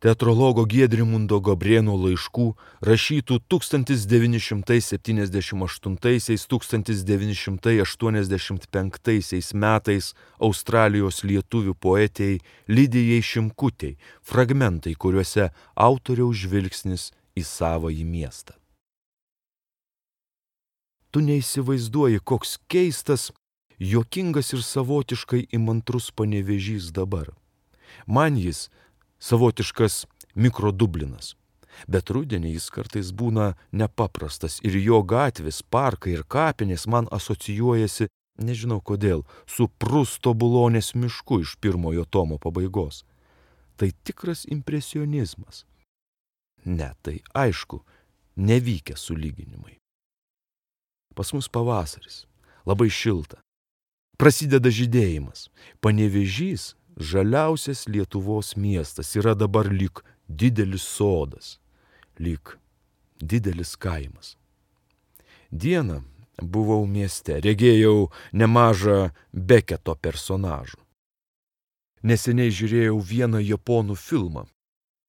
teatrologo Giedrimundo Gabrėno laiškų, rašytų 1988–1985 metais Australijos lietuvių poetei Lidijai Šimkutei, fragmentai, kuriuose autoriaus žvilgsnis į savąjį miestą. Tu neįsivaizduoji, koks keistas, juokingas ir savotiškai įmantrus Panevėžys dabar. Man jis savotiškas mikrodublinas, bet rudenį jis kartais būna nepaprastas ir jo gatvės, parkai ir kapinės man asocijuojasi, nežinau kodėl, su Prusto Bulonės mišku iš pirmojo tomo pabaigos. Tai tikras impresionizmas. Ne, tai aišku, nevykę sulyginimai. Pas mus pavasaris, labai šilta. Prasideda žydėjimas. Panevėžys, žaliausias Lietuvos miestas, yra dabar lyg didelis sodas, lyg didelis kaimas. Dieną buvau mieste, regėjau nemažą Beketo personažų. Neseniai žiūrėjau vieną japonų filmą,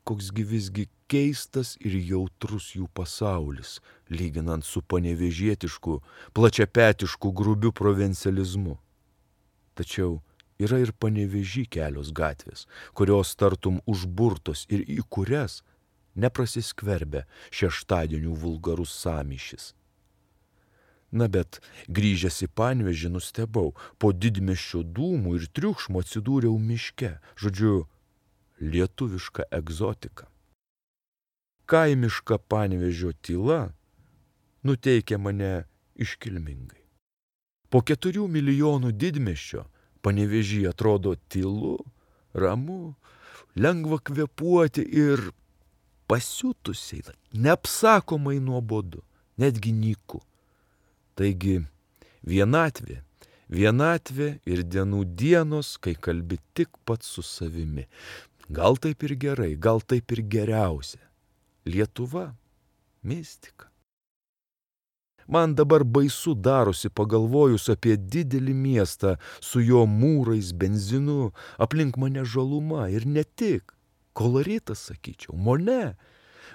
koksgi visgi keistas ir jautrus jų pasaulis, lyginant su panevėžietišku, plačiapetišku grubiu provincializmu. Tačiau yra ir Panevėžy kelios gatvės, kurios tartum užburtos ir į kurias neprasiskverbia šeštadienių vulgarus sąmyšis. Na bet, grįžęs į Panevėžį nustebau, po didmiesčio dūmų ir triukšmo atsidūriau miške, žodžiu, lietuviška egzotika. Kaimiška Panevėžio tyla nuteikia mane iškilmingai. Po 4 milijonų didmiesčio Panevėžy atrodo tylu, ramu, lengva kvėpuoti ir pasiutusiai, neapsakomai nuobodu, netgi nyku. Taigi vienatvė ir dienų dienos, kai kalbi tik pats su savimi. Gal taip ir gerai, gal taip ir geriausia. Lietuva – mistika. Man dabar baisu darosi pagalvojus apie didelį miestą su jo mūrais, benzinu, aplink mane žaluma ir ne tik. Koloritas, sakyčiau, Mone.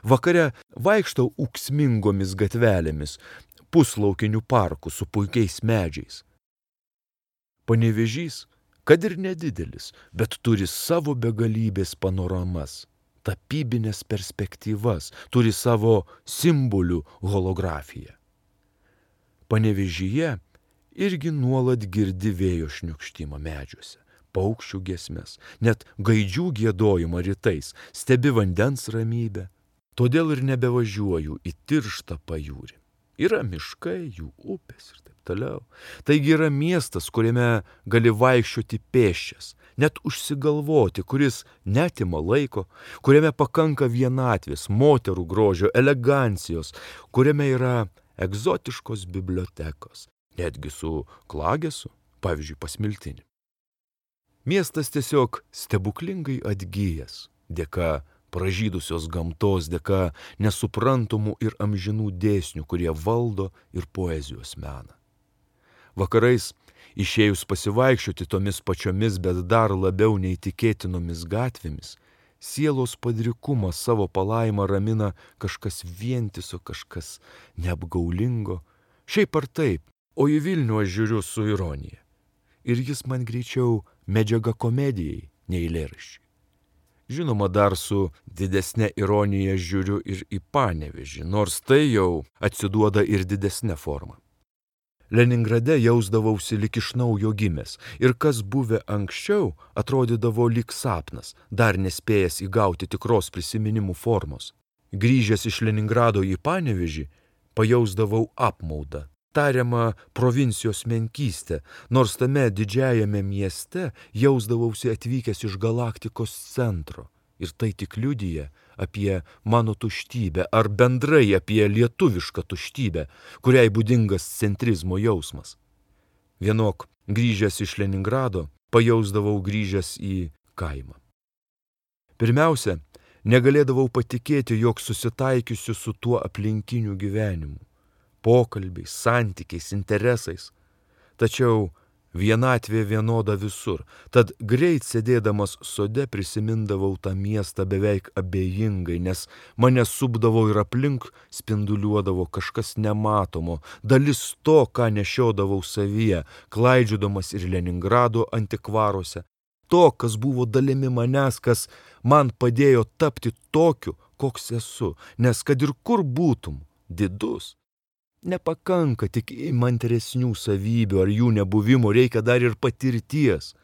Vakare vaikštau ūksmingomis gatvelėmis, puslaukinių parkų su puikiais medžiais. Panevėžys, kad ir nedidelis, bet turi savo begalybės panoramas, tapybinės perspektyvas, turi savo simbolių holografiją. Panevėžyje irgi nuolat girdi vėjo šniukštimą medžiuose, paukščių giesmes, net gaidžių giedojimą rytais, stebi vandens ramybę. Todėl ir nebevažiuoju į tirštą pajūrį. Yra miškai, jų upės ir taip toliau. Taigi yra miestas, kuriame gali vaikščioti pėsčias, net užsigalvoti, kuris netima laiko, kuriame pakanka vienatvės, moterų grožio, elegancijos, kuriame yra egzotiškos bibliotekos, netgi su klagesu, pavyzdžiui, pas Miltinį. Miestas tiesiog stebuklingai atgyjęs, dėka pražydusios gamtos, dėka nesuprantamų ir amžinų dėsnių, kurie valdo ir poezijos meną. Vakarais, išėjus pasivaikščioti tomis pačiomis, bet dar labiau neįtikėtinomis gatvėmis, sielos padrikumą savo palaimą ramina kažkas vientiso, kažkas neapgaulingo. Šiaip ar taip, o į Vilnių aš žiūriu su ironija. Ir jis man greičiau medžiaga komedijai, nei eilėraščiui. Žinoma, dar su didesne ironija žiūriu ir į Panevėžį, nors tai jau atsiduoda ir didesne forma. Leningrade jausdavausi lyg iš naujo gimęs ir kas buvę anksčiau atrodydavo lyg sapnas, dar nespėjęs įgauti tikros prisiminimų formos. Grįžęs iš Leningrado į Panevėžį, pajausdavau apmaudą, tariamą provincijos menkystę, nors tame didžiajame mieste jausdavausi atvykęs iš galaktikos centro. Ir tai tik liudija apie mano tuštybę ar bendrai apie lietuvišką tuštybę, kuriai būdingas centrizmo jausmas. Vienok, grįžęs iš Leningrado, pajausdavau grįžęs į kaimą. Pirmiausia, negalėdavau patikėti, jog susitaikysiu su tuo aplinkiniu gyvenimu, pokalbiais, santykiais, interesais. Tačiau Vienatvė vienoda visur, tad greit sėdėdamas sode prisimindavau tą miestą beveik abejingai, nes mane supdavo ir aplink spinduliuodavo kažkas nematomo, dalis to, ką nešiodavau savyje, klaidžiodamas ir Leningrado antikvaruose, to, kas buvo dalimi manęs, kas man padėjo tapti tokiu, koks esu, nes kad ir kur būtum, didus. Nepakanka tik įmantresnių savybių ar jų nebuvimo, reikia dar ir patirties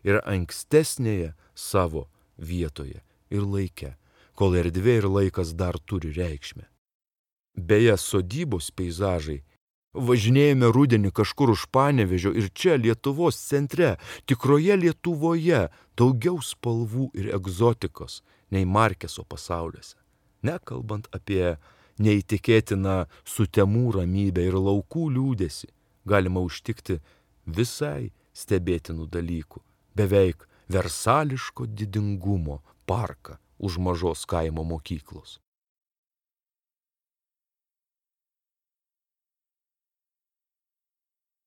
ir ankstesnėje savo vietoje ir laike, kol erdvė ir laikas dar turi reikšmę. Beje, sodybos peizažai. Važinėjome rudenį kažkur už Panevėžio ir čia Lietuvos centre, tikroje Lietuvoje, daugiau spalvų ir egzotikos nei Markeso pasauliuose. Nekalbant apie neįtikėtiną sutemų ramybę ir laukų liūdesį, galima užtikti visai stebėtinų dalykų, beveik versališko didingumo parką už mažos kaimo mokyklos.